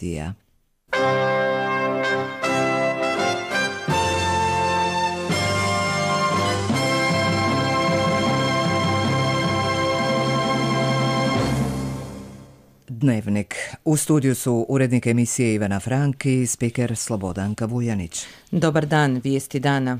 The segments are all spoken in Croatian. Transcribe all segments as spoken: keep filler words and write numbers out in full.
partija. Dnevnik. U studiju su urednik emisije Ivana Frank i spiker Slobodanka Vujanić. Dobar dan, vijesti dana.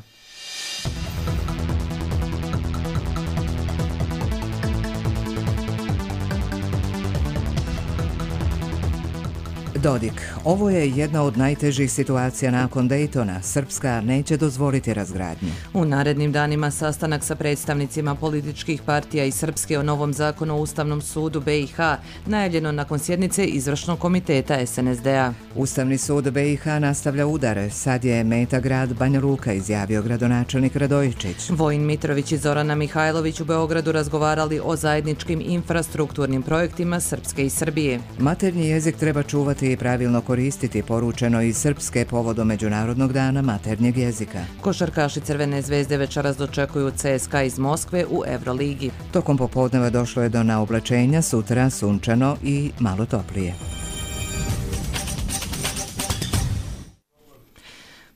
Dodik. Ovo je jedna od najtežih situacija nakon Daytona. Srpska neće dozvoliti razgradnju. U narednim danima sastanak sa predstavnicima političkih partija i Srpske o novom zakonu o Ustavnom sudu B i H, najavljeno nakon sjednice Izvršnog komiteta S N S D-a. Ustavni sud B i H nastavlja udare. Sad je meta grad Banja Luka, izjavio gradonačelnik Radojičić. Vojin Mitrović i Zorana Mihajlović u Beogradu razgovarali o zajedničkim infrastrukturnim projektima Srpske i Srbije. Maternji jezik treba čuvati i pravilno koristiti, poručeno iz Srpske povodom Međunarodnog dana maternjeg jezika. Košarkaši Crvene zvezde večeras dočekuju C S K A iz Moskve u Euroligi. Tokom popodneva došlo je do naoblačenja, sutra sunčano i malo toplije.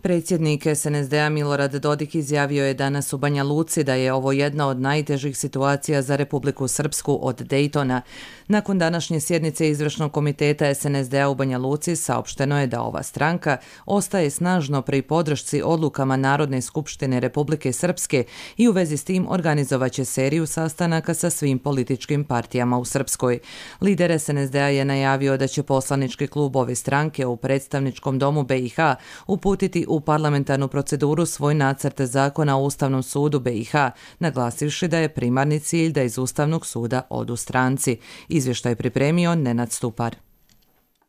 Predsjednik S N S D-a Milorad Dodik izjavio je danas u Banja Luci da je ovo jedna od najtežih situacija za Republiku Srpsku od Daytona. Nakon današnje sjednice Izvršnog komiteta S N S D-a u Banja Luci saopšteno je da ova stranka ostaje snažno pri podršci odlukama Narodne skupštine Republike Srpske i u vezi s tim organizovaće seriju sastanaka sa svim političkim partijama u Srpskoj. Lider S N S D-a je najavio da će poslanički klub ove stranke u predstavničkom domu B i H uputiti u parlamentarnu proceduru svoj nacrt zakona o Ustavnom sudu B i H, naglasivši da je primarni cilj da iz Ustavnog suda odu stranci. Izvještaj je pripremio Nenad Stupar.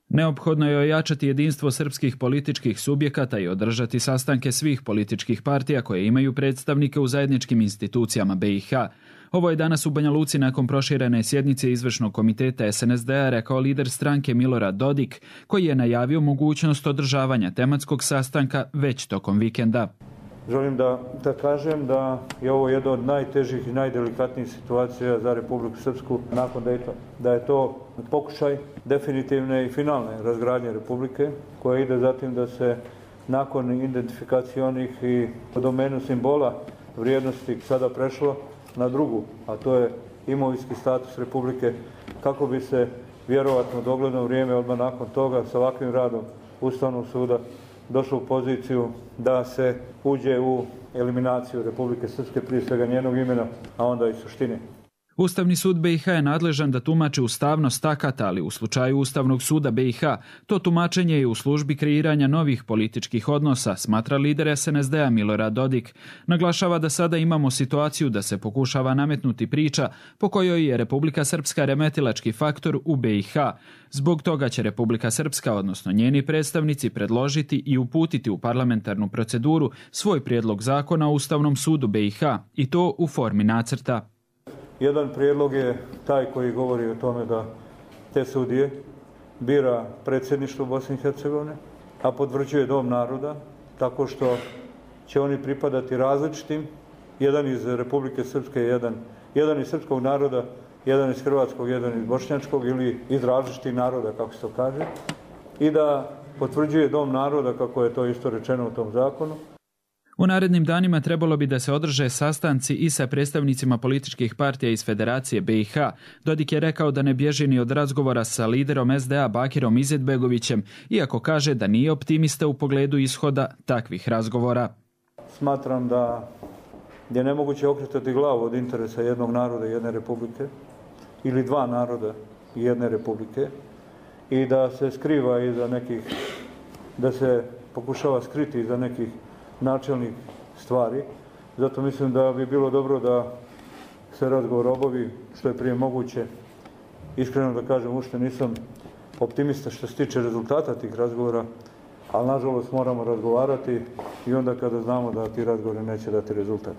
Neophodno je ojačati jedinstvo srpskih političkih subjekata i održati sastanke svih političkih partija koje imaju predstavnike u zajedničkim institucijama B i H. Ovo je danas u Banja Luci nakon proširene sjednice Izvršnog komiteta S N S D-a rekao lider stranke Milorad Dodik, koji je najavio mogućnost održavanja tematskog sastanka već tokom vikenda. Želim da, da kažem da je ovo jedna od najtežih i najdelikatnijih situacija za Republiku Srpsku nakon Daytona. Da je to pokušaj definitivne i finalne razgradnje Republike, koja ide zatim da se nakon identifikacije onih i u domenu simbola vrijednosti sada prešlo na drugu, a to je imovinski status Republike, kako bi se vjerovatno dogledno vrijeme odmah nakon toga sa ovakvim radom Ustavnog suda došlo u poziciju da se uđe u eliminaciju Republike Srpske, prije svega njenog imena, a onda i suštine. Ustavni sud B i H je nadležan da tumači ustavnost akata, ali u slučaju Ustavnog suda B i H to tumačenje je u službi kreiranja novih političkih odnosa, smatra lider S N S D-a Milorad Dodik. Naglašava da sada imamo situaciju da se pokušava nametnuti priča po kojoj je Republika Srpska remetilački faktor u B i H. Zbog toga će Republika Srpska, odnosno njeni predstavnici, predložiti i uputiti u parlamentarnu proceduru svoj prijedlog zakona o Ustavnom sudu B i H, i to u formi nacrta. Jedan prijedlog je taj koji govori o tome da te sudije bira predsjedništvo Bosne i Hercegovine, a potvrđuje Dom naroda, tako što će oni pripadati različitim, jedan iz Republike Srpske, jedan, jedan iz srpskog naroda, jedan iz hrvatskog, jedan iz bošnjačkog ili iz različitih naroda, kako se to kaže, i da potvrđuje Dom naroda, kako je to isto rečeno u tom zakonu. U narednim danima trebalo bi da se održe sastanci i sa predstavnicima političkih partija iz Federacije B i H. Dodik je rekao da ne bježi ni od razgovora sa liderom S D A Bakirom Izetbegovićem, iako kaže da nije optimista u pogledu ishoda takvih razgovora. Smatram da je nemoguće okretati glavu od interesa jednog naroda i jedne republike, ili dva naroda i jedne republike, i da se skriva iza nekih, da se pokušava skriti iza nekih načelnih stvari. Zato mislim da bi bilo dobro da se razgovor obavi što je prije moguće. Iskreno da kažem, uopšte nisam optimista što se tiče rezultata tih razgovora, ali nažalost moramo razgovarati i onda kada znamo da ti razgovori neće dati rezultat.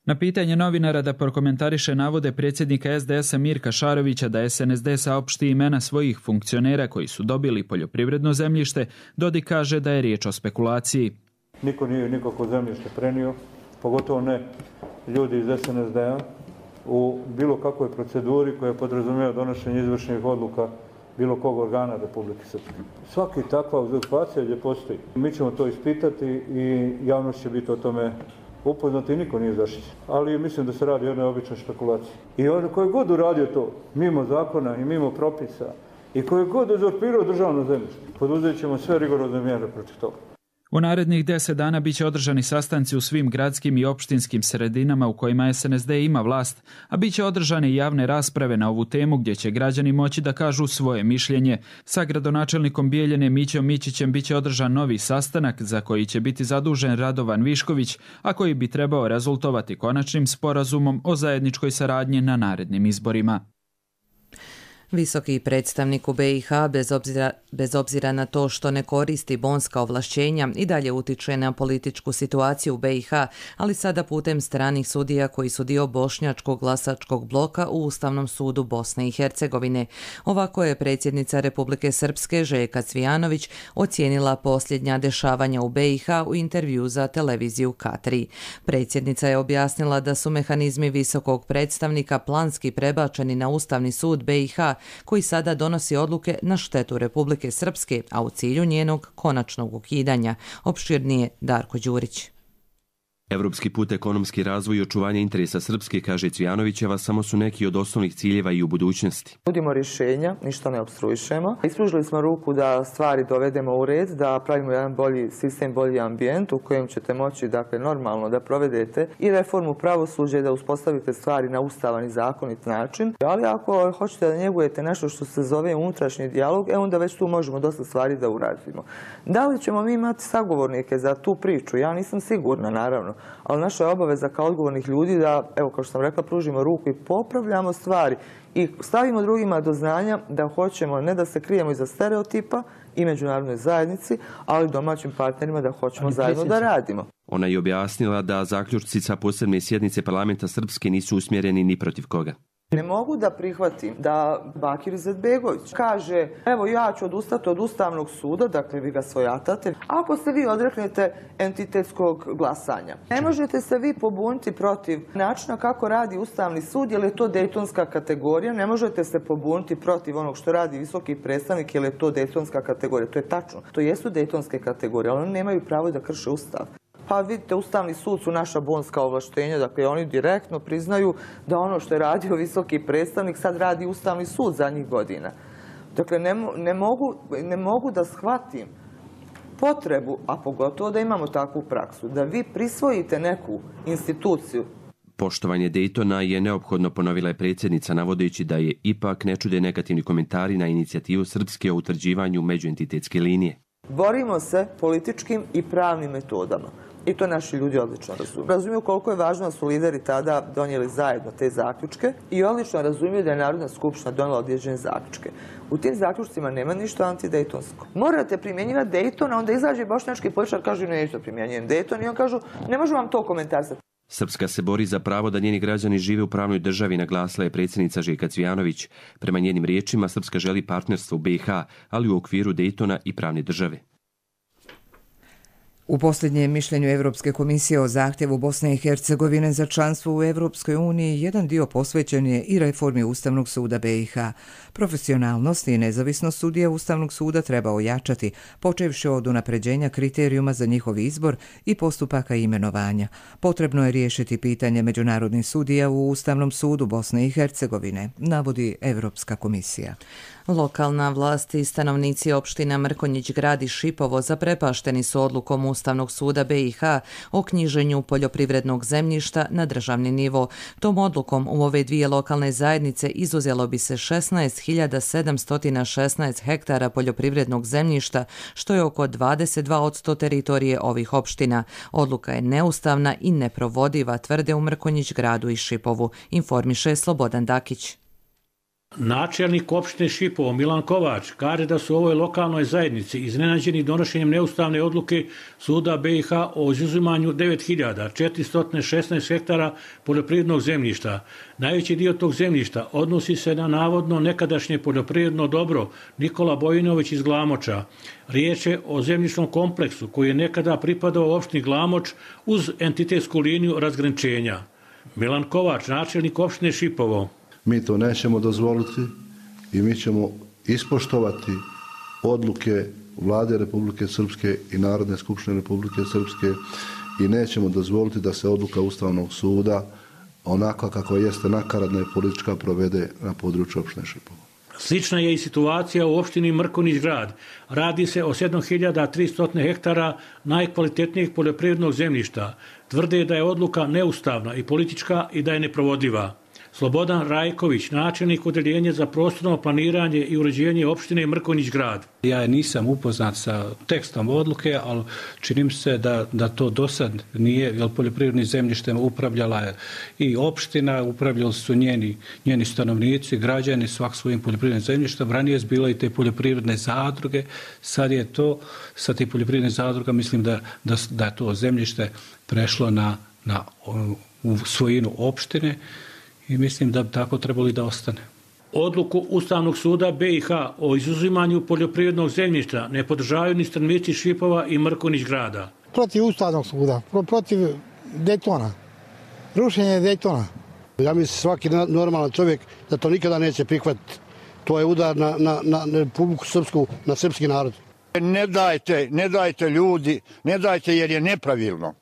Na pitanje novinara da prokomentariše navode predsjednika S D S-a Mirka Šarovića da S N S D saopšti imena svojih funkcionera koji su dobili poljoprivredno zemljište, Dodik kaže da je riječ o spekulaciji. Niko nije nikako zemljište prenio, pogotovo ne ljudi iz S N S D-a, u bilo kakvoj proceduri koja podrazumijeva donošenje izvršnih odluka bilo kog organa Republike Srpske. Svaki takva uzurpacija gdje postoji. Mi ćemo to ispitati i javnost će biti o tome upoznati i niko nije zaštićen. Ali mislim da se radi o jednoj običnoj špekulaciji. I on koji god uradio to, mimo zakona i mimo propisa, i koji god uzurpirao državno zemljište, poduzet ćemo sve rigorozne mjere protiv toga. U narednih deset dana bit će održani sastanci u svim gradskim i opštinskim sredinama u kojima es en es de ima vlast, a bit će održane i javne rasprave na ovu temu gdje će građani moći da kažu svoje mišljenje. Sa gradonačelnikom Bijeljine Mićom Mićićem bit će održan novi sastanak za koji će biti zadužen Radovan Višković, a koji bi trebao rezultovati konačnim sporazumom o zajedničkoj saradnji na narednim izborima. Visoki predstavnik u be i ha, bez obzira, bez obzira na to što ne koristi bonska ovlašćenja, i dalje utiče na političku situaciju u be i ha, ali sada putem stranih sudija koji su dio bošnjačkog glasačkog bloka u Ustavnom sudu Bosne i Hercegovine. Ovako je predsjednica Republike Srpske Željka Cvijanović ocijenila posljednja dešavanja u be i ha u intervju za televiziju K tri. Predsjednica je objasnila da su mehanizmi visokog predstavnika planski prebačeni na Ustavni sud be i ha, koji sada donosi odluke na štetu Republike Srpske, a u cilju njenog konačnog ukidanja. Opširnije Darko Đurić. Evropski put, ekonomski razvoj i očuvanje interesa Srpske, kaže Cvijanovićeva, samo su neki od osnovnih ciljeva i u budućnosti. Nudimo rješenja, ništa ne opstruišemo. Ispružili smo ruku da stvari dovedemo u red, da pravimo jedan bolji sistem, bolji ambijent u kojem ćete moći, dakle, normalno da provedete i reformu pravosuđa i da uspostavite stvari na ustavan i zakonit način. Ali ako hoćete da njegujete nešto što se zove unutrašnji dijalog, e onda već tu možemo dosta stvari da uradimo. Da li ćemo mi imati sagovornike za tu priču? Ja nisam sigurna, naravno. Ali naša je obaveza kao odgovornih ljudi da, evo kao što sam rekla, pružimo ruku i popravljamo stvari i stavimo drugima do znanja da hoćemo ne da se krijemo iza stereotipa i međunarodnoj zajednici, ali domaćim partnerima da hoćemo zajedno da radimo. Ona je objasnila da zaključci sa posebne sjednice parlamenta Srpske nisu usmjereni ni protiv koga. Ne mogu da prihvatim da Bakir Izetbegović kaže evo ja ću odustati od Ustavnog suda, dakle vi ga svojatate, ako se vi odreknete entitetskog glasanja. Ne možete se vi pobuniti protiv načina kako radi Ustavni sud, jer je to dejtonska kategorija, ne možete se pobuniti protiv onog što radi visoki predstavnik, jer je to dejtonska kategorija. To je tačno, to jesu dejtonske kategorije, ali oni nemaju pravo da krše Ustav. Pa vidite, Ustavni sud su naša bonska ovlaštenja, dakle oni direktno priznaju da ono što je radio visoki predstavnik sad radi Ustavni sud zadnjih godina. Dakle, ne, ne, mogu, ne mogu da shvatim potrebu, a pogotovo da imamo takvu praksu, da vi prisvojite neku instituciju. Poštovanje Dejtona je neophodno, ponovila je predsjednica, navodeći da je ipak ne čude negativni komentari na inicijativu Srpske o utvrđivanju međuentitetske linije. Borimo se političkim i pravnim metodama. I to naši ljudi odlično razumiju. Razumiju koliko je važno da su lideri tada donijeli zajedno te zaključke i odlično razumiju da je Narodna skupština donijela određene zaključke. U tim zaključcima nema ništa antidejtonsko. Morate primjenjivati Dejton, a onda izađe bošnjački političar i kaže neću da primjenjujem Dejton i on kažu ne možemo vam to komentarisati. Srpska se bori za pravo da njeni građani žive u pravnoj državi, naglasila je predsjednica Željka Cvijanović. Prema njenim riječima, Srpska želi partnerstvo u be i ha, ali u okviru Dejtona i pravne države. U posljednjem mišljenju Evropske komisije o zahtjevu Bosne i Hercegovine za članstvo u Evropskoj uniji jedan dio posvećen je i reformi Ustavnog suda be i ha. Profesionalnost i nezavisnost sudija Ustavnog suda treba ojačati, počevši od unapređenja kriterijuma za njihov izbor i postupaka imenovanja. Potrebno je riješiti pitanje međunarodnih sudija u Ustavnom sudu Bosne i Hercegovine, navodi Evropska komisija. Lokalna vlast i stanovnici opština Mrkonjić Grad i Šipovo zaprepašteni su odlukom Ustavnog suda be i ha o knjiženju poljoprivrednog zemljišta na državni nivo. Tom odlukom u ove dvije lokalne zajednice izuzelo bi se šesnaest hiljada sedamsto šesnaest hektara poljoprivrednog zemljišta, što je oko dvadeset dva posto teritorije ovih opština. Odluka je neustavna i neprovodiva, tvrde u Mrkonjić Gradu i Šipovu, informiše Slobodan Dakić. Načelnik opštine Šipovo Milan Kovač kaže da su u ovoj lokalnoj zajednici iznenađeni donošenjem neustavne odluke suda be i ha o izuzimanju devet hiljada četiristo šesnaest hektara poljoprivrednog zemljišta. Najveći dio tog zemljišta odnosi se na navodno nekadašnje poljoprivredno dobro Nikola Bojinović iz Glamoča. Riječ je o zemljišnom kompleksu koji je nekada pripadao opštini Glamoč uz entitetsku liniju razgraničenja. Milan Kovač, načelnik opštine Šipovo. Mi to nećemo dozvoliti i mi ćemo ispoštovati odluke Vlade Republike Srpske i Narodne skupštine Republike Srpske i nećemo dozvoliti da se odluka Ustavnog suda onako kako jeste nakaradna i politička provede na području opštine Šipovo. Slična je i situacija u opštini Mrkonjić Grad. Radi se o sedam hiljada tristo hektara najkvalitetnijeg poljoprivrednog zemljišta. Tvrde da je odluka neustavna i politička i da je neprovodiva. Slobodan Rajković, načelnik odeljenja za prostorno planiranje i uređenje opštine Mrkonjić Grad. Ja nisam upoznat sa tekstom odluke, ali činim se da, da to do sad nije, jer poljoprivrednim zemljištem upravljala je i opština, upravljali su njeni, njeni stanovnici, građani svak svojim poljoprivrednim zemljištem. Ranije je bilo i te poljoprivredne zadruge, sad je to, sa te poljoprivredne zadruga mislim da, da, da je to zemljište prešlo na, na u svojinu opštine. I mislim da bi tako trebali da ostane. Odluku Ustavnog suda B i H o izuzimanju poljoprivrednog zemljišta ne podržavaju ni stanovnici Šipova i Mrkonjić Grada. Protiv Ustavnog suda, protiv Dejtona, rušenje Dejtona. Ja mislim svaki normalan čovjek da to nikada neće prihvatiti. To je udar na, na, na Republiku Srpsku, na srpski narod. Ne dajte, ne dajte ljudi, ne dajte jer je nepravilno.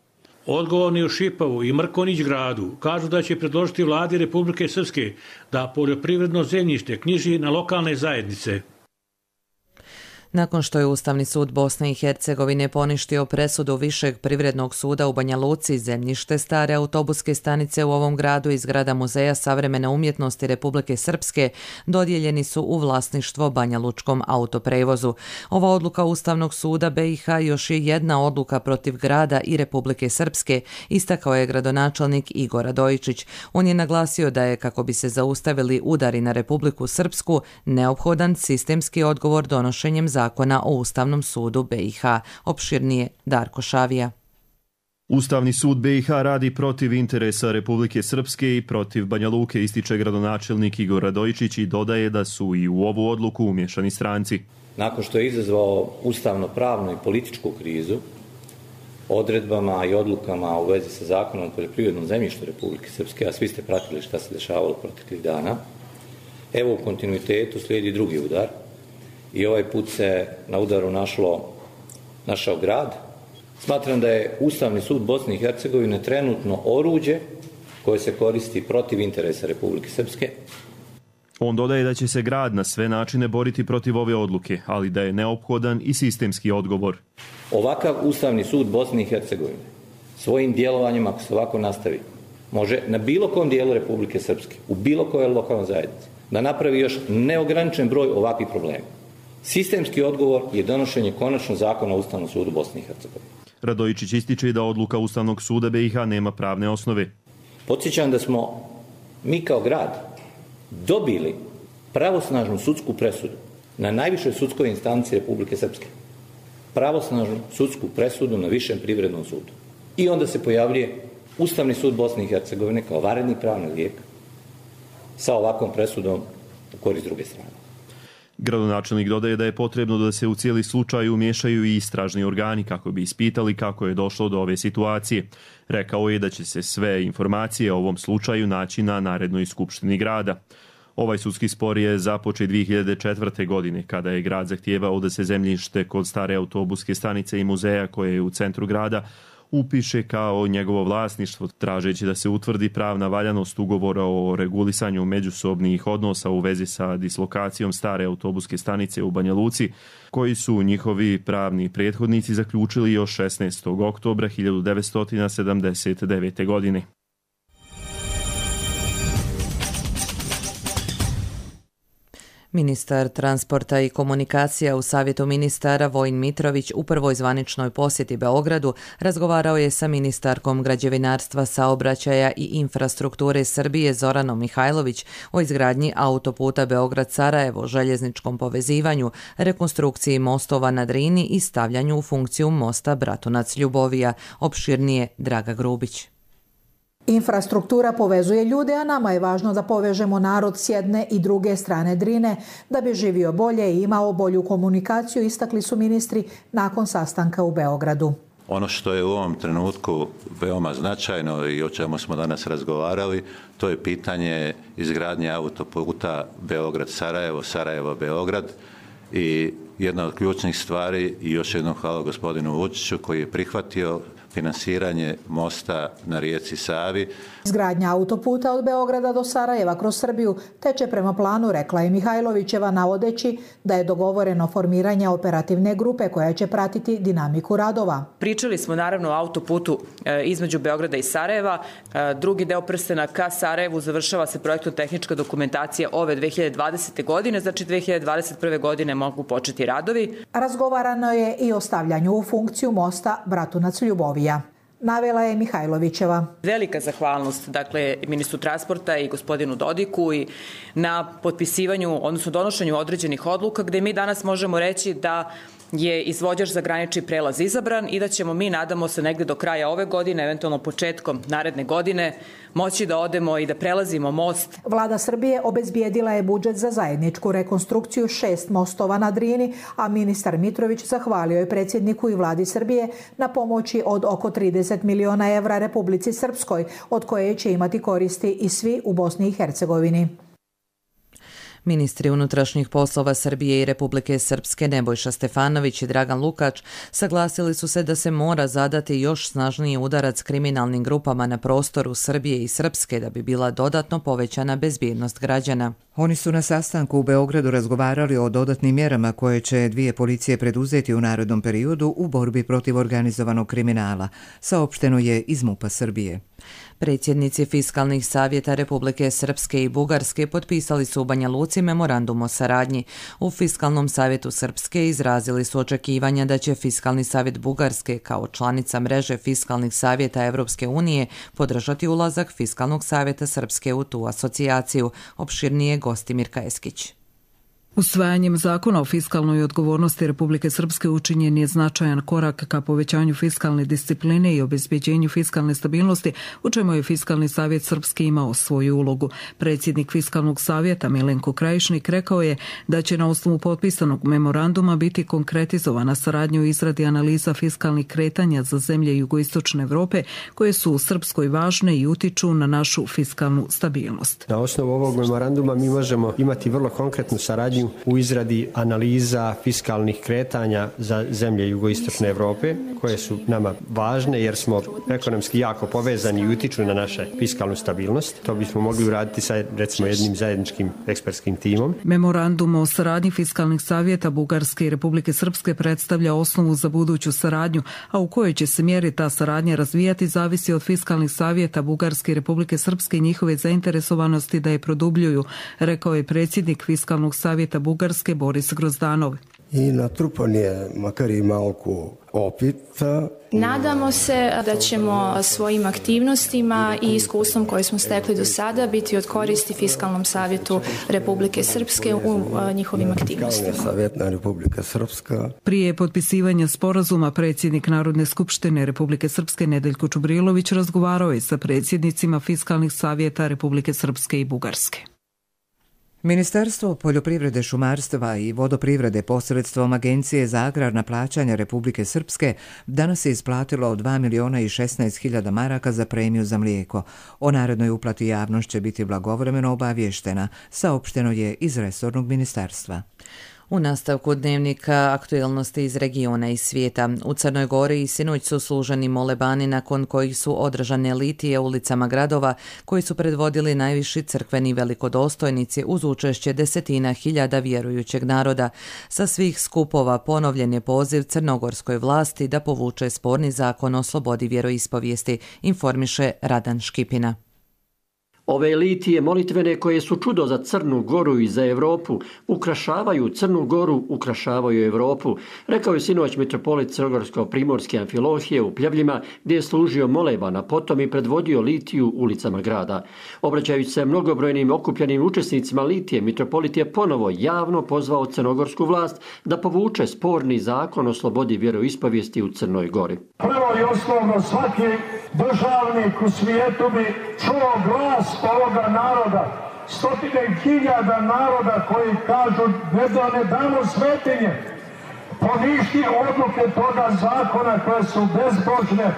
Odgovorni u Šipovu i Mrkonjić Gradu kažu da će predložiti vladi Republike Srpske da poljoprivredno zemljište knjiži na lokalne zajednice. Nakon što je Ustavni sud Bosne i Hercegovine poništio presudu Višeg privrednog suda u Banja Luci, zemljište stare autobuske stanice u ovom gradu i zgrada Muzeja savremene umjetnosti Republike Srpske dodijeljeni su u vlasništvo Banja Lučkom autoprevozu. Ova odluka Ustavnog suda B i H još je jedna odluka protiv grada i Republike Srpske, istakao je gradonačelnik Igor Radojičić. On je naglasio da je, kako bi se zaustavili udari na Republiku Srpsku, neophodan sistemski odgovor donošenjem zakona Zakona o Ustavnom sudu B i H. Opširnije Darko Šavija. Ustavni sud B i H radi protiv interesa Republike Srpske i protiv Banja Luke, ističe gradonačelnik Igor Radojičić i dodaje da su i u ovu odluku umješani stranci. Nakon što je izazvao ustavno-pravnu i političku krizu, odredbama i odlukama u vezi sa zakonom o poljoprivrednom zemljištu Republike Srpske, a svi ste pratili šta se dešavalo proteklih dana, evo u kontinuitetu slijedi drugi udar. I ovaj put se na udaru našlo, našao grad. Smatram da je Ustavni sud Bosne i Hercegovine trenutno oruđe koje se koristi protiv interesa Republike Srpske. On dodaje da će se grad na sve načine boriti protiv ove odluke, ali da je neophodan i sistemski odgovor. Ovakav Ustavni sud Bosne i Hercegovine svojim djelovanjem, ako se ovako nastavi, može na bilo kom dijelu Republike Srpske, u bilo kojoj lokalnoj zajednici, da napravi još neograničen broj ovakvih problema. Sistemski odgovor je donošenje konačnog zakona o Ustavnom sudu Bosne i Hercegovine. Radojičić ističe da odluka Ustavnog suda B i H nema pravne osnove. Podsjećam da smo mi kao grad dobili pravosnažnu sudsku presudu na najvišoj sudskoj instanci Republike Srpske. Pravosnažnu sudsku presudu na Višem privrednom sudu. I onda se pojavljuje Ustavni sud Bosne i Hercegovine kao vanredni pravni lijek sa ovakvom presudom u korist druge strane. Gradonačelnik dodaje da je potrebno da se u cijeli slučaj umiješaju i istražni organi kako bi ispitali kako je došlo do ove situacije. Rekao je da će se sve informacije o ovom slučaju naći na narednoj skupštini grada. Ovaj sudski spor je započet dvije hiljade četvrte. godine kada je grad zahtijevao da se zemljište kod stare autobuske stanice i muzeja koje je u centru grada upiše kao njegovo vlasništvo, tražeći da se utvrdi pravna valjanost ugovora o regulisanju međusobnih odnosa u vezi sa dislokacijom stare autobuske stanice u Banja Luci, koji su njihovi pravni prethodnici zaključili još šesnaestog oktobra hiljadu devetsto sedamdeset devete. godine. Ministar transporta i komunikacija u Savjetu ministara Vojin Mitrović u prvoj zvaničnoj posjeti Beogradu razgovarao je sa ministarkom građevinarstva, saobraćaja i infrastrukture Srbije Zoranom Mihajlović o izgradnji autoputa Beograd-Sarajevo, željezničkom povezivanju, rekonstrukciji mostova na Drini i stavljanju u funkciju mosta Bratunac-Ljubovija. Opširnije Draga Grubić. Infrastruktura povezuje ljude, a nama je važno da povežemo narod s jedne i druge strane Drine, da bi živio bolje i imao bolju komunikaciju, istakli su ministri nakon sastanka u Beogradu. Ono što je u ovom trenutku veoma značajno i o čemu smo danas razgovarali, to je pitanje izgradnje autoputa Beograd-Sarajevo, Sarajevo-Beograd i jedna od ključnih stvari, i još jednom hvala gospodinu Vučiću koji je prihvatio finansiranje mosta na rijeci Savi. Izgradnja autoputa od Beograda do Sarajeva kroz Srbiju teče prema planu, rekla je Mihajlovićeva, navodeći da je dogovoreno formiranje operativne grupe koja će pratiti dinamiku radova. Pričali smo naravno o autoputu između Beograda i Sarajeva. Drugi deo prstena ka Sarajevu završava se projektno-tehnička dokumentacija ove dve hiljade dvadesete. godine, znači dve hiljade dvadeset prve. godine mogu početi radovi. Razgovarano je i o stavljanju u funkciju mosta Bratunac Ljubovija. Navela je Mihajlovićeva. Velika zahvalnost dakle ministru transporta i gospodinu Dodiku i na potpisivanju, odnosno donošenju određenih odluka gde mi danas možemo reći da je izvođač za granični prelaz izabran i da ćemo mi, nadamo se, negde do kraja ove godine, eventualno početkom naredne godine, moći da odemo i da prelazimo most. Vlada Srbije obezbijedila je budžet za zajedničku rekonstrukciju šest mostova na Drini, a ministar Mitrović zahvalio je predsjedniku i vladi Srbije na pomoći od oko trideset miliona evra Republici Srpskoj, od koje će imati koristi i svi u Bosni i Hercegovini. Ministri unutrašnjih poslova Srbije i Republike Srpske Nebojša Stefanović i Dragan Lukač saglasili su se da se mora zadati još snažniji udarac kriminalnim grupama na prostoru Srbije i Srpske da bi bila dodatno povećana bezbjednost građana. Oni su na sastanku u Beogradu razgovarali o dodatnim mjerama koje će dvije policije preduzeti u narednom periodu u borbi protiv organizovanog kriminala, saopšteno je iz MUP-a Srbije. Predsjednici fiskalnih savjeta Republike Srpske i Bugarske potpisali su u Banja Luci memorandum o saradnji. U Fiskalnom savjetu Srpske izrazili su očekivanja da će Fiskalni savjet Bugarske kao članica mreže fiskalnih savjeta Evropske unije podržati ulazak Fiskalnog savjeta Srpske u tu asocijaciju, opširnije Gostimir Kajeskić. Usvajanjem zakona o fiskalnoj odgovornosti Republike Srpske učinjen je značajan korak ka povećanju fiskalne discipline i obezbeđenju fiskalne stabilnosti, u čemu je Fiskalni savjet Srpske imao svoju ulogu. Predsjednik Fiskalnog savjeta Milenko Krajišnik rekao je da će na osnovu potpisanog memoranduma biti konkretizovana saradnja u izradi analiza fiskalnih kretanja za zemlje jugoistočne Evrope koje su u Srpskoj važne i utiču na našu fiskalnu stabilnost. Na osnovu ovog memoranduma mi možemo imati vrlo konkretnu saradnju u izradi analiza fiskalnih kretanja za zemlje jugoistočne Evrope koje su nama važne jer smo ekonomski jako povezani i utiču na našu fiskalnu stabilnost. To bismo mogli uraditi sa recimo jednim zajedničkim ekspertskim timom. Memorandum o saradnji fiskalnih savjeta Bugarske i Republike Srpske predstavlja osnovu za buduću saradnju, a u kojoj će se mjeri ta saradnja razvijati zavisi od fiskalnih savjeta Bugarske i Republike Srpske i njihove zainteresovanosti da je produbljuju, rekao je predsjednik Fiskalnog savjeta Bugarske Boris Grozdanov. I natrupan je makar i malku opita. Nadamo se da ćemo svojim aktivnostima i iskustvom koje smo stekli do sada biti od koristi Fiskalnom savjetu Republike Srpske u njihovim aktivnostima. Savjetna Republika Srpska. Prije potpisivanja sporazuma predsjednik Narodne skupštine Republike Srpske Nedeljko Čubrilović razgovarao je sa predsjednicima Fiskalnih savjeta Republike Srpske i Bugarske. Ministarstvo poljoprivrede, šumarstva i vodoprivrede posredstvom Agencije za agrarna plaćanja Republike Srpske danas je isplatilo dva miliona i šesnaest hiljada maraka za premiju za mlijeko. O narednoj uplati javnost će biti blagovremeno obavještena, saopšteno je iz resornog ministarstva. U nastavku dnevnika aktualnosti iz regiona i svijeta. U Crnoj Gori i sinoć su služeni molebani nakon kojih su održane litije ulicama gradova koji su predvodili najviši crkveni velikodostojnici uz učešće desetina hiljada vjerujućeg naroda. Sa svih skupova ponovljen je poziv crnogorskoj vlasti da povuče sporni zakon o slobodi vjeroispovijesti, informiše Radan Škipina. Ove litije molitvene koje su čudo za Crnu Goru i za Evropu, ukrašavaju Crnu Goru, ukrašavaju Evropu, rekao je sinoć mitropolit Crnogorsko-primorske Amfilohije u Pljevljima, gdje je služio moleban, a potom i predvodio litiju ulicama grada. Obraćajući se mnogobrojnim okupljenim učesnicima litije, mitropolit je ponovo javno pozvao crnogorsku vlast da povuče sporni zakon o slobodi vjeroispovijesti u Crnoj Gori. Prvo i osnovno, svaki državnik u svijetu bi čuo glas ovoga naroda, stotine hiljada naroda koji kažu ne da ne damo svetinje. poništi odluke toga zakona koje su bezbožne.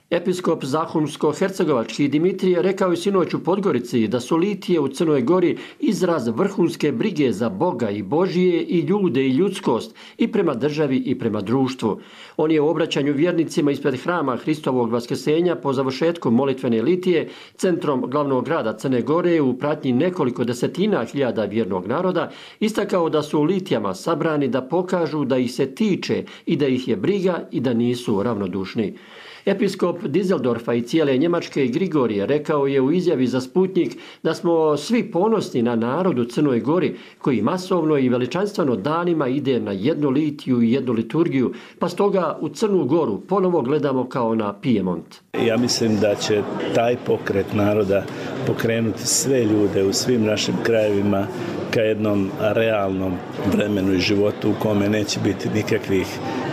Episkop Zahumsko-hercegovački Dimitrije rekao je sinoć u Podgorici da su litije u Crnoj Gori izraz vrhunske brige za Boga i Božije i ljude i ljudskost i prema državi i prema društvu. On je u obraćanju vjernicima ispred hrama Hristovog vaskrsenja po završetku molitvene litije centrom glavnog grada Crne Gore u pratnji nekoliko desetina hiljada vjernog naroda istakao da su u litijama sabrani da pokažu da ih se tiče i da ih je briga i da nisu ravnodušni. Episkop Dizeldorfa i cijele Njemačke Grigorije rekao je u izjavi za Sputnik da smo svi ponosni na narod u Crnoj Gori koji masovno i veličanstveno danima ide na jednu litiju i jednu liturgiju, pa stoga u Crnu Goru ponovo gledamo kao na Pijemont. Ja mislim da će taj pokret naroda pokrenuti sve ljude u svim našim krajevima ka jednom realnom vremenu i životu u kome neće biti nikakvih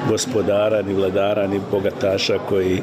gospodara, ni vladara, ni bogataša koji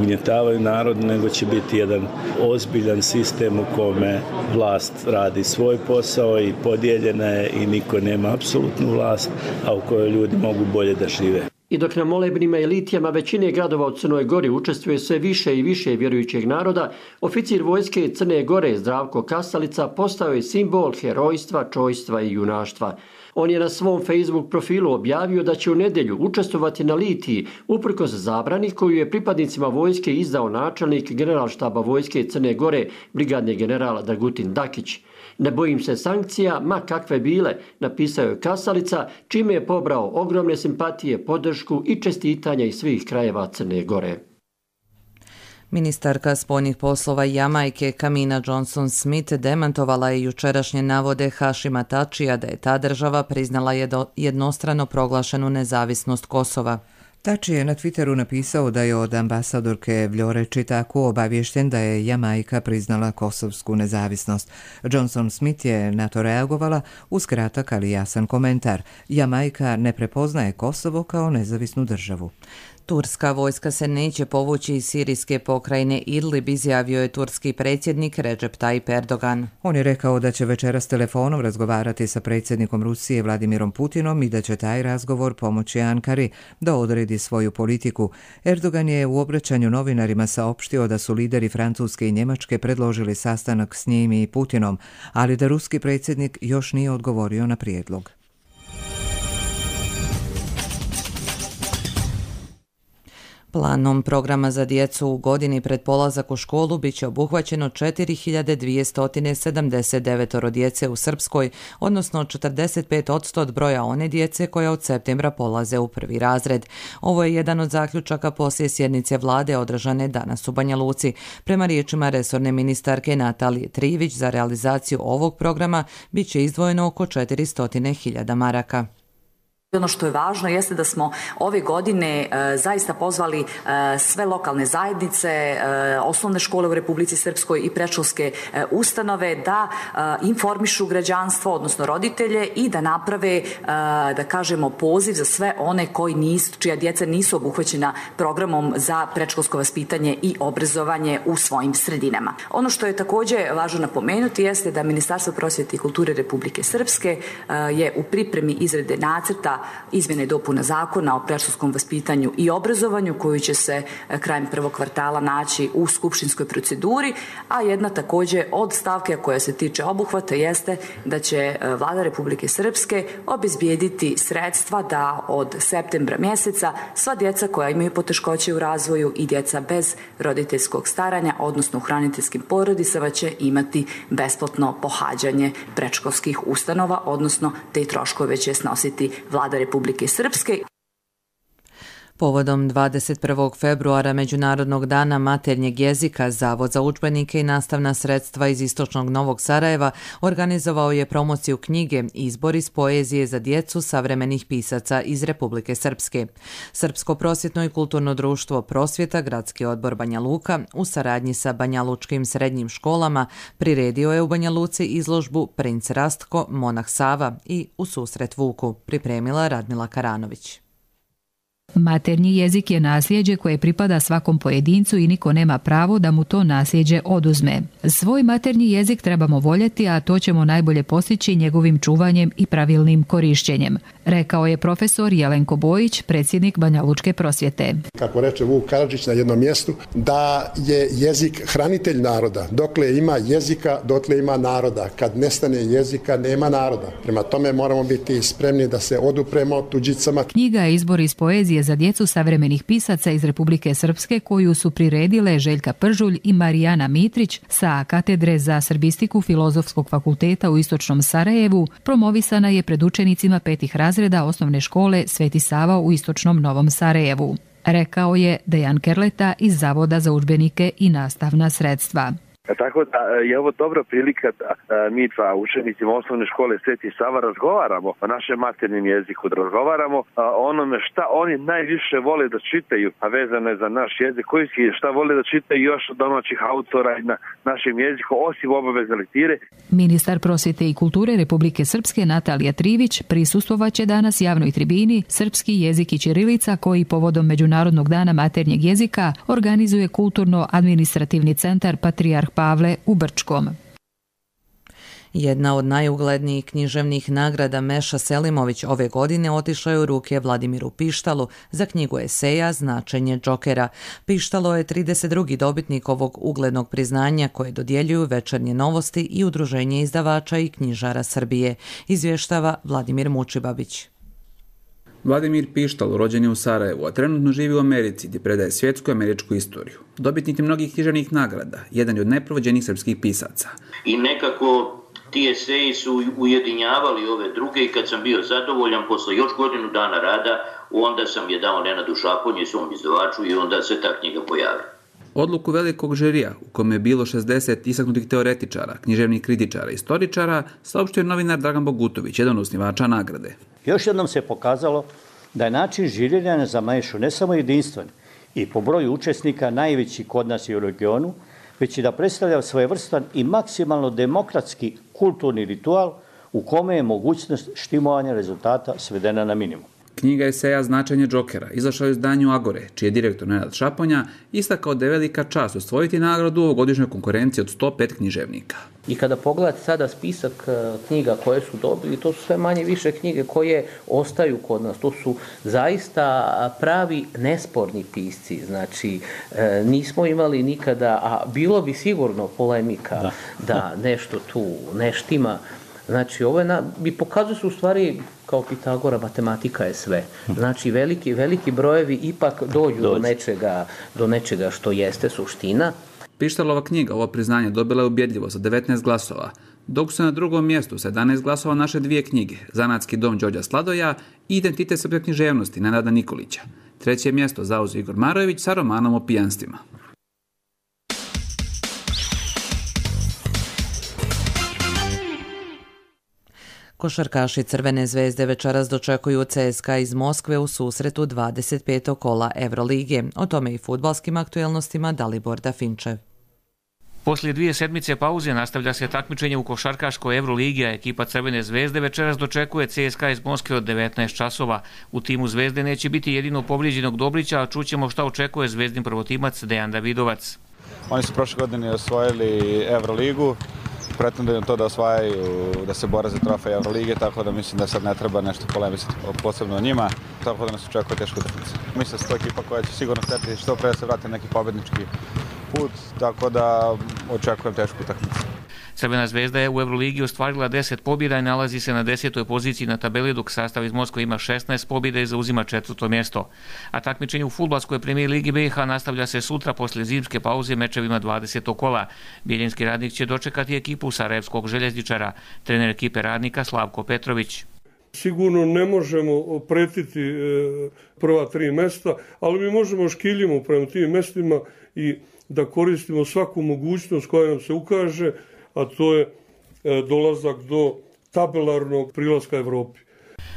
ugnjetavaju narod, nego će biti jedan ozbiljan sistem u kome vlast radi svoj posao i podijeljena je i niko nema apsolutnu vlast, a u kojoj ljudi mogu bolje da žive. I dok na molebnima i litijama većine gradova u Crnoj Gori učestvuje sve više i više vjerujućeg naroda, oficir vojske Crne Gore Zdravko Kasalica postao je simbol herojstva, čojstva i junaštva. On je na svom Facebook profilu objavio da će u nedjelju učestvovati na litiji uprkos zabrani koju je pripadnicima vojske izdao načelnik generalštaba vojske Crne Gore, brigadni general Dragutin Dakić. Ne bojim se sankcija, ma kakve bile, napisao je Kasalica, čime je pobrao ogromne simpatije, podršku i čestitanja iz svih krajeva Crne Gore. Ministarka spoljnih poslova Jamajke Kamina Johnson-Smith demantovala je jučerašnje navode Hašima Tačija da je ta država priznala jednostrano proglašenu nezavisnost Kosova. Tači je na Twitteru napisao da je od ambasadorke Vljore Čitaku obaviješten da je Jamajka priznala kosovsku nezavisnost. Johnson Smith je na to reagovala uz kratak ali jasan komentar. Jamajka ne prepoznaje Kosovo kao nezavisnu državu. Turska vojska se neće povući iz sirijske pokrajine Idlib, izjavio je turski predsjednik Recep Tayyip Erdogan. On je rekao da će večeras telefonom razgovarati sa predsjednikom Rusije Vladimirom Putinom i da će taj razgovor pomoći Ankari da odredi svoju politiku. Erdogan je u obraćanju novinarima saopštio da su lideri Francuske i Njemačke predložili sastanak s njim i Putinom, ali da ruski predsjednik još nije odgovorio na prijedlog. Planom programa za djecu u godini pred polazak u školu bit će obuhvaćeno četiri hiljade dvjesto sedamdeset devet djece u Srpskoj, odnosno četrdeset pet posto od broja one djece koja od septembra polaze u prvi razred. Ovo je jedan od zaključaka poslije sjednice vlade održane danas u Banja Luci. Prema riječima resorne ministarke Natalije Trivić, za realizaciju ovog programa bit će izdvojeno oko četiristo hiljada maraka. Ono što je važno jeste da smo ove godine e, zaista pozvali e, sve lokalne zajednice, e, osnovne škole u Republici Srpskoj i predškolske e, ustanove da e, informišu građanstvo, odnosno roditelje i da naprave, e, da kažemo, poziv za sve one koji nisu, čija djeca nisu obuhvaćena programom za predškolsko vaspitanje i obrazovanje u svojim sredinama. Ono što je također važno napomenuti jeste da Ministarstvo prosvjete i kulture Republike Srpske e, je u pripremi izrade nacrta izmjene i dopuna zakona o predškolskom vaspitanju i obrazovanju koji će se krajem prvog kvartala naći u skupštinskoj proceduri, a jedna također od stavke koja se tiče obuhvata jeste da će Vlada Republike Srpske obezbijediti sredstva da od septembra mjeseca sva djeca koja imaju poteškoće u razvoju i djeca bez roditeljskog staranja, odnosno u hraniteljskim porodicama, će imati besplatno pohađanje predškolskih ustanova, odnosno te troškove će snositi Vlada Republike Srpske. Povodom dvadeset prvog februara Međunarodnog dana maternjeg jezika, Zavod za udžbenike i nastavna sredstva iz Istočnog Novog Sarajeva organizovao je promociju knjige Izbor iz poezije za djecu savremenih pisaca iz Republike Srpske. Srpsko prosvjetno i kulturno društvo Prosvjeta, Gradski odbor Banja Luka, u saradnji sa banjalučkim srednjim školama priredio je u Banja Luci izložbu Princ Rastko, Monah Sava i U susret Vuku, pripremila Radmila Karanović. Maternji jezik je nasljeđe koje pripada svakom pojedincu i niko nema pravo da mu to nasljeđe oduzme. Svoj maternji jezik trebamo voljeti, a to ćemo najbolje postići njegovim čuvanjem i pravilnim korišćenjem, rekao je profesor Jelenko Bojić, predsjednik Banja Lučke prosvjete. Kako reče Vuk Karadžić na jednom mjestu, da je jezik hranitelj naroda. Dokle ima jezika, dotle ima naroda. Kad nestane jezika, nema naroda. Prema tome moramo biti spremni da se odupremo tuđicama. Knjiga je izbor iz poezije za djecu savremenih pisaca iz Republike Srpske koju su priredile Željka Pržulj i Marijana Mitrić sa katedre za srbistiku Filozofskog fakulteta u Istočnom Sarajevu. Promovisana je pred učenicima petih razreda osnovne škole Sveti Sava u Istočnom Novom Sarajevu, rekao je Dejan Kerleta iz Zavoda za udžbenike i nastavna sredstva. Tako da je ovo dobra prilika da mi dva učenicima osnovne škole Sveti Sava razgovaramo o našem maternjem jeziku, da razgovaramo o onome šta oni najviše vole da čitaju, a vezano je za naš jezik, koji šta vole da čitaju još od domaćih autora na našem jeziku, osim obavezne lektire. Ministar prosvjete i kulture Republike Srpske Natalija Trivić prisustvovaće danas javnoj tribini Srpski jezik i ćirilica koji povodom Međunarodnog dana maternjeg jezika organizuje Kulturno-administrativni centar Patrijarh Pavle u Brčkom. Jedna od najuglednijih književnih nagrada Meša Selimović ove godine otišla je u ruke Vladimiru Pištalu za knjigu eseja Značenje Džokera. Pištalo je trideset drugi dobitnik ovog uglednog priznanja koje dodjeljuju Večernje novosti i Udruženje izdavača i knjižara Srbije, izvještava Vladimir Mučibabić. Vladimir Pištal rođen je u Sarajevu, a trenutno živi u Americi gdje predaje svjetsku američku istoriju. Dobitnik je mnogih književnih nagrada, jedan je od najprovođenijih srpskih pisaca. I nekako ti eseji su ujedinjavali ove druge i kad sam bio zadovoljan posle još godinu dana rada, onda sam je dao Nenadu Šaponji, svom izdavaču, i onda se ta knjiga pojavila. Odluku velikog žirija, u kome je bilo šezdeset istaknutih teoretičara, književnih kritičara i istoričara, saopštio je novinar Dragan Bogutović, jedan od osnivača nagrade. Još jednom se pokazalo da je način žiriranja za Mešu ne samo jedinstven i po broju učesnika najveći kod nas i u regionu, već i da predstavlja svojevrstan i maksimalno demokratski kulturni ritual u kome je mogućnost štimovanja rezultata svedena na minimum. Knjiga eseja Značenje Džokera izašla je u izdanju Agore, čiji je direktor Nenad Šaponja istakao da je velika čast osvojiti nagradu u ovogodišnjoj konkurenciji od sto pet književnika. I kada pogledate sada spisak knjiga koje su dobili, to su sve manje više knjige koje ostaju kod nas. To su zaista pravi nesporni pisci. Znači, nismo imali nikada, a bilo bi sigurno polemika da, da nešto tu ne štima. Znači, ovo je na, i pokazuje se u stvari, kao Pitagora, matematika je sve. Znači, veliki, veliki brojevi ipak dođu do nečega, do nečega što jeste suština. Pištalova knjiga, ovo priznanje, dobila je ubjedljivo sa devetnaest glasova, dok su na drugom mjestu sa jedanaest glasova naše dvije knjige, Zanatski dom Đorđa Sladoja i Identitet srpske književnosti Nenada Nikolića. Treće mjesto zauzeo Igor Marojević sa romanom o pijanstvima. Košarkaši Crvene zvezde večeras dočekuju C S K A iz Moskve u susretu dvadeset petog kola Evrolige. O tome i fudbalskim aktuelnostima Dalibor Dafinčev. Poslije dvije sedmice pauze nastavlja se takmičenje u košarkaškoj Evroligi, a ekipa Crvene zvezde večeras dočekuje C S K A iz Moskve od devetnaest časova. U timu zvezde neće biti jedino povrijeđenog Dobrića, a čućemo šta očekuje zvezdin prvotimac Dejan Davidovac. Oni su prošle godine osvojili Evroligu, pretenduju to da osvajaju, da se bore za trofej Evrolige, tako da mislim da sad ne treba nešto polemisati posebno o njima, tako da nas očekuje teška utakmica. Mislim da se to ekipa koja će sigurno htjeti što pre da se vrati neki pobjednički put, tako da očekujem tešku utakmicu. Crvena zvezda je u Evroligi ostvarila deset pobjeda i nalazi se na desetoj poziciji na tabeli, dok sastav iz Moskve ima šesnaest pobjeda i zauzima četvrto mjesto. A takmičenje u fudbalskoj premijer ligi B iH nastavlja se sutra poslije zimske pauze mečevima dvadesetog kola. Bijeljinski Radnik će dočekati ekipu Sarajevskog željezničara, trener ekipe Radnika Slavko Petrović. Sigurno ne možemo pretiti prva tri mjesta, ali mi možemo škiljimo prema tim mjestima i da koristimo svaku mogućnost koja nam se ukaže, a to je dolazak do tabelarnog prilaska Evropi.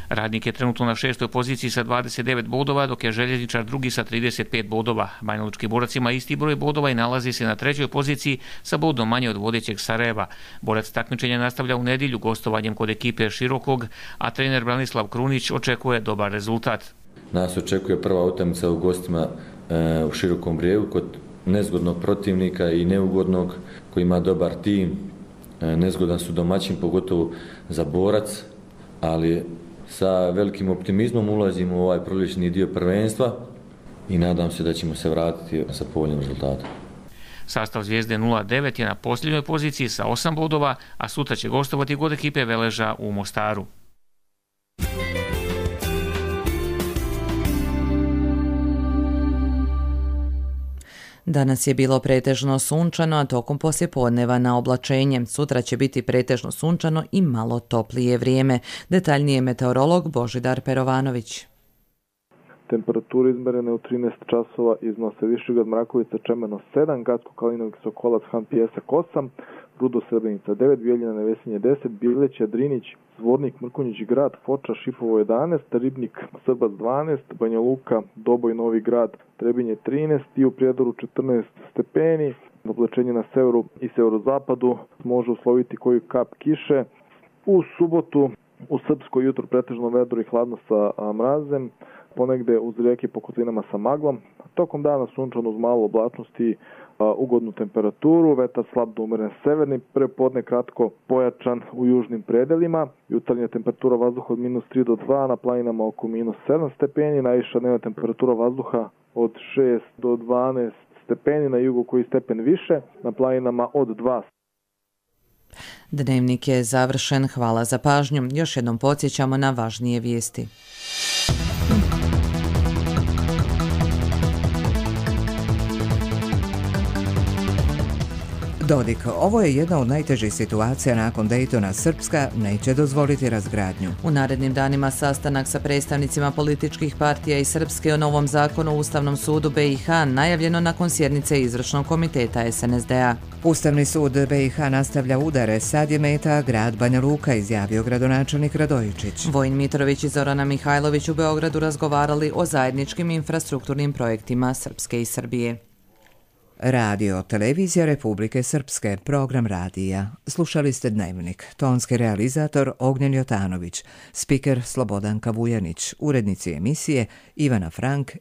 Radnik je trenutno na šestoj poziciji sa dvadeset devet bodova, dok je željezničar drugi sa trideset pet bodova. Banjalučki Borac ima isti broj bodova i nalazi se na trećoj poziciji sa bodom manje od vodećeg Sarajeva. Borac takmičenja nastavlja u nedjelju gostovanjem kod ekipe Širokog, a trener Branislav Krunić očekuje dobar rezultat. Nas očekuje prva utakmica u gostima e, u Širokom Brijegu kod nezgodnog protivnika i neugodnog koji ima dobar tim. E, nezgodan su domaćin, pogotovo za Borac, ali sa velikim optimizmom ulazimo u ovaj prolični dio prvenstva i nadam se da ćemo se vratiti sa povoljnim rezultatom. Sastav Zvijezde nula devet je na posljednjoj poziciji sa osam bodova, a sutra će gostovati kod ekipe Veleža u Mostaru. Danas je bilo pretežno sunčano, a tokom poslijepodneva na oblačenje. Sutra će biti pretežno sunčano i malo toplije vrijeme. Detaljnije meteorolog Božidar Perovanović. Temperature izmerene u trinaest časova iznose Višegrad, Mrakovica, Čemeno sedam, Gacko, Kalinović, Sokolac, Han, Pijesak osam, Rudo, Srebrenica devet, Bijeljina, Nevesinje deset, Bileć, Drinić, Zvornik, Mrkonjić, Grad, Foča, Šipovo jedanaest, Ribnik, Srbac dvanaest, Banja Luka, Doboj, Novi Grad, Trebinje trinaest i u Prijedoru četrnaest stepeni. Oblačenje na severu i severozapadu može usloviti koju kap kiše. U subotu u Srpskoj jutro pretežno vedro i hladno sa mrazem, ponegde uz rijeke po kotlinama sa maglom. Tokom dana sunčano uz malo oblačnosti, ugodnu temperaturu, vetar slab do umeren severni, prepodne kratko pojačan u južnim predelima, jutarnja temperatura vazduha od minus tri do dva, na planinama oko minus sedam stepeni, najviša dnevna temperatura vazduha od šest do dvanaest stepeni, na jugu koji stepen više, na planinama od dva. Dnevnik je završen, hvala za pažnju. Još jednom podsjećamo na važnije vijesti. Dodik, ovo je jedna od najtežih situacija nakon Daytona. Srpska neće dozvoliti razgradnju. U narednim danima sastanak sa predstavnicima političkih partija i Srpske o novom zakonu u Ustavnom sudu B i H najavljeno nakon sjednice Izvršnog komiteta S N S D A. Ustavni sud B i H nastavlja udare, sad je meta grad Banja Luka, izjavio gradonačelnik Radojičić. Vojin Mitrović i Zorana Mihajlović u Beogradu razgovarali o zajedničkim infrastrukturnim projektima Srpske i Srbije. Radio, televizija Republike Srpske, program radija. Slušali ste Dnevnik. Tonski realizator Ognjen Jotanović, spiker Slobodanka Vujanić, urednici emisije Ivana Frank